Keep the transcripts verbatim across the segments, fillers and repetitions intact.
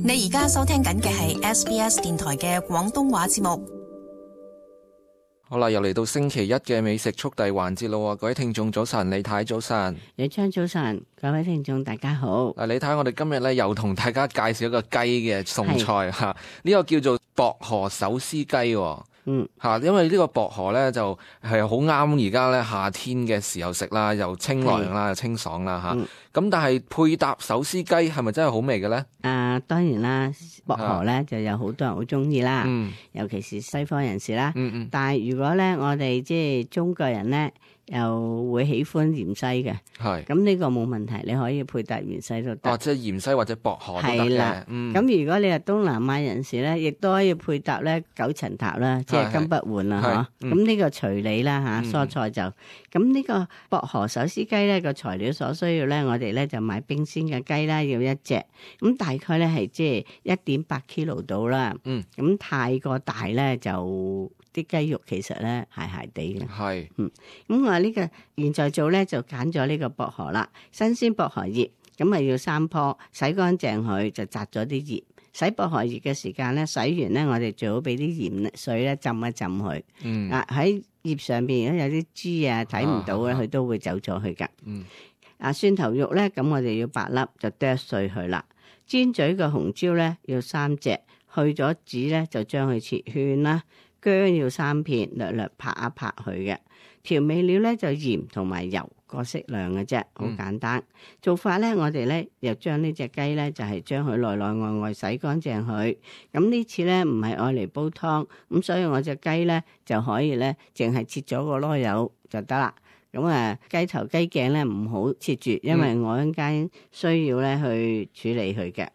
你而家收聽緊嘅係 S B S 電台嘅廣東話節目。好啦，又嚟到星期一嘅美食速遞環節咯，各位聽眾早晨，李太早晨，李昌早晨，各位聽眾大家好。嗱，李太，我哋今日咧又同大家介紹一個雞嘅餸菜吓，呢個叫做薄荷手撕雞。嗯，吓，因為呢個薄荷咧就係好啱而家咧夏天嘅時候食啦，又清涼啦，又清爽啦吓。咁、嗯、但係配搭手撕雞係咪真係好味嘅咧？啊，當然啦，薄荷咧就有好多人好中意啦，嗯、尤其是西方人士啦。嗯嗯。但係如果咧我哋即係中國人咧，又會喜歡芫茜嘅，係咁呢個冇問題，你可以配搭芫茜都得。哦，即係芫茜或者薄荷都得嘅。係啦，嗯。咁如果你係東南亞人士咧，亦都可以配搭咧九層塔啦，即係金不換啦，嗬。咁呢個隨你啦吓，蔬菜就咁呢個薄荷手撕雞咧個材料所需要咧，我哋咧就買冰鮮嘅雞啦，要一隻，咁大概咧係即係一點八 kilo 到啦。嗯。咁太過大咧就。啲雞肉其實咧係係地嘅，係，嗯，咁我呢個現在做咧就揀咗呢個薄荷啦，新鮮薄荷葉，咁啊要三棵，洗乾淨佢就摘咗啲葉，洗薄荷葉嘅時間咧，洗完咧我哋最好俾啲鹽水咧浸一浸佢，嗯，啊喺葉上邊如果有啲珠啊睇唔到咧，佢、啊、都會走咗去噶，嗯，啊蒜頭肉咧，咁我哋要八粒就剁碎佢啦，尖嘴嘅紅椒咧要三隻，去咗籽咧就將佢切圈啦。薑要三片，略略拍一拍佢嘅。調味料咧就鹽同埋油各適量嘅啫，好簡單。嗯、做法咧，我哋咧又將呢隻雞咧就係將佢內內外外洗乾淨佢。咁呢次咧唔係愛嚟煲湯，咁所以我隻雞咧就可以咧淨係切咗個籮柚就得啦。咁啊雞頭雞頸咧唔好切住，因為我一陣間需要咧去處理佢嘅。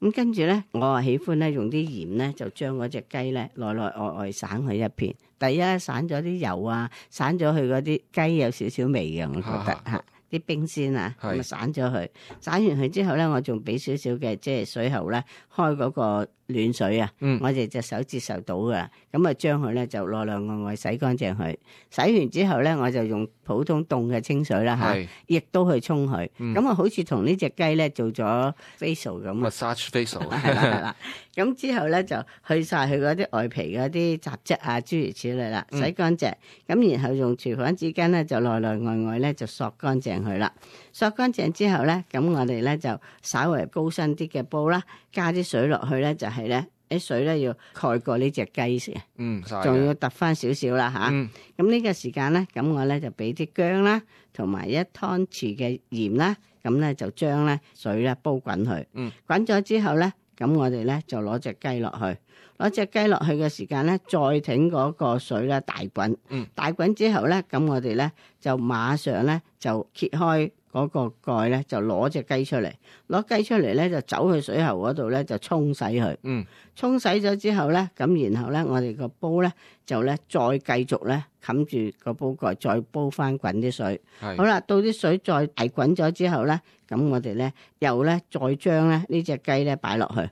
咁跟住咧，我啊喜歡咧用啲鹽咧，就將嗰隻雞咧內內外外散佢一片。第一散咗啲油啊，散咗佢嗰啲雞有少少味嘅，我覺得嚇。啲冰鮮啊，咁啊散咗佢，散完佢之後咧，我仲俾少少嘅即係水喉咧，開嗰個暖水啊，嗯、我哋隻手接受到噶啦，咁啊將佢咧就內內外外洗乾淨佢，洗完之後咧我就用普通凍嘅清水啦嚇，亦都去沖佢，咁啊、嗯、好似同呢隻雞咧做咗 facial 咁 massage facial 係啦係啦，咁之後咧就去晒佢嗰啲外皮嗰啲雜質啊諸如此類啦，洗乾淨，咁、嗯、然後用廚房紙巾咧就內內外外咧就索乾淨佢啦，索乾淨之後咧，咁我哋咧就稍微高身啲嘅煲啦，加啲水落去咧，就係咧啲水咧要蓋過呢隻雞先，嗯，仲要揼翻少少啦吓，咁呢、嗯、個時間咧，咁我咧就俾啲薑啦，同埋一湯匙嘅鹽啦，咁咧就將咧水咧煲滾佢，嗯，滾咗之後咧，咁我哋咧就攞隻雞落去。攞隻雞落去嘅時間咧，再挺嗰個水咧大滾，嗯、大滾之後咧，咁我哋咧就馬上咧就揭開嗰個蓋咧，就攞隻雞出嚟，攞雞出嚟咧就走去水喉嗰度咧就沖洗佢，嗯、沖洗咗之後咧，咁然後咧我哋個煲咧就咧再繼續咧冚住個煲蓋，再煲翻滾啲水。是好啦，到啲水再大滾咗之後咧，咁我哋咧又咧再將咧呢隻雞咧擺落去。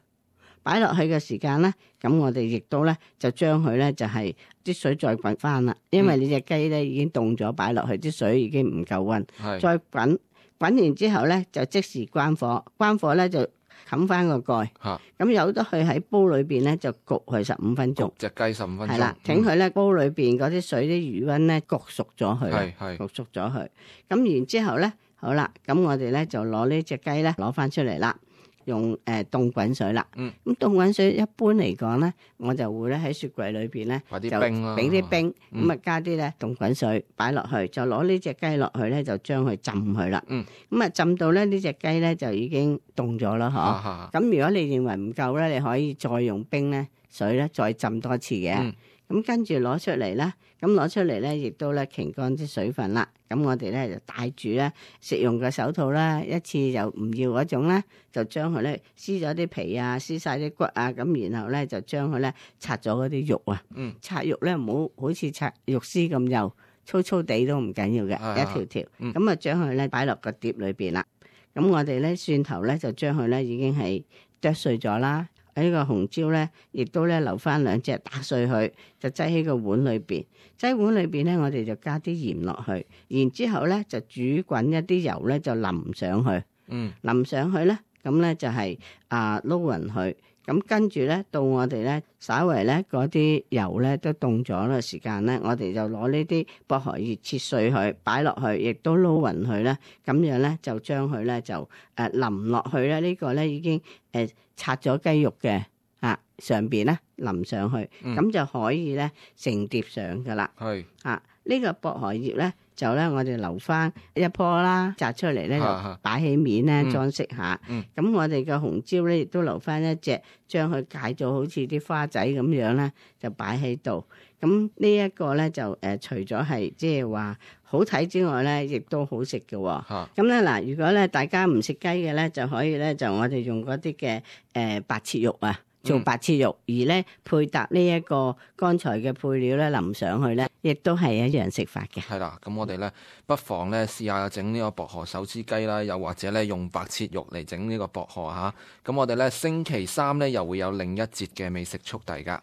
擺落去嘅時間咧，咁我哋亦都咧就將佢咧就係啲水再滾翻啦，因為你隻雞咧已經凍咗，擺落去啲水已經唔夠溫，是再滾滾完之後咧就即時關火，關火咧就冚翻個蓋，咁、啊、由得佢喺煲裏邊咧就焗佢十五分鐘，隻雞十五分鐘，係啦，挺佢咧煲裏邊嗰啲水啲餘溫咧焗熟咗佢，焗熟咗佢，咁然之後咧好啦，咁我哋咧就攞呢隻雞咧攞翻出嚟啦。用誒、呃、凍滾水啦，咁、嗯、凍滾水一般嚟講咧，我就會咧喺雪櫃裏邊咧就俾啲冰，咁啊、嗯、加啲咧凍滾水擺落去，就攞呢隻雞落去咧就將佢浸佢啦，咁啊、嗯、浸到咧呢隻雞咧就已經凍咗啦，嗬、啊，咁、啊、如果你認為唔夠咧，你可以再用冰咧水咧再浸多次嘅。嗯咁跟住攞出嚟啦，咁攞出嚟咧，亦都咧擎乾啲水分啦。咁我哋咧就戴住咧食用嘅手套啦，一次又唔要嗰種咧，就將佢咧撕咗啲皮啊，撕晒啲骨啊，咁然後咧就將佢咧拆咗嗰啲肉啊。嗯。拆肉咧唔好好似拆肉絲咁幼，粗粗地都唔緊要嘅，啊、一條條。嗯。咁啊將佢咧擺落個碟裏邊啦。咁我哋咧蒜頭咧就將佢咧已經係剁碎咗啦。喺個紅椒咧，亦都咧留翻兩隻打碎佢，就擠喺個碗裏邊。擠碗裏邊咧，我哋就加啲鹽落去，然之後咧就煮滾一啲油咧，就淋上去。嗯，淋上去咧，咁咧就係啊撈勻佢。咁跟住咧，到我哋咧，稍為咧嗰啲油咧都凍咗嘅時間咧，我哋就攞呢啲薄荷葉切碎佢，擺落去，亦都撈勻佢咧。咁樣咧就將佢咧就誒淋落去咧。呢個咧已經誒拆咗雞肉嘅啊上邊咧淋上去，咁、嗯、就可以咧成碟上噶啦。係啊，呢個薄荷葉咧。就咧，我哋留翻一棵啦，摘出嚟咧就擺起面咧裝飾下。咁、嗯嗯、我哋嘅紅椒咧亦都留翻一隻，將佢解咗好似啲花仔咁樣咧，就擺喺度。咁呢一個咧就誒、呃，除咗係即係話好睇之外咧，亦都好食嘅。咁咧嗱，如果咧大家唔食雞嘅咧，就可以咧就我哋用嗰啲嘅誒白切肉啊。做白切肉，而咧配搭呢一個剛才嘅配料咧淋上去咧，亦都係一樣食法嘅。係啦，咁我哋咧不妨咧試下整呢個薄荷手撕雞啦，又或者咧用白切肉嚟整呢個薄荷嚇。咁我哋咧星期三咧又會有另一節嘅美食速遞㗎。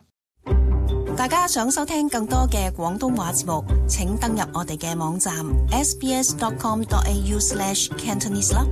大家想收聽更多嘅廣東話節目，請登入我哋嘅網站 s b s dot com dot a u slash cantonese 啦。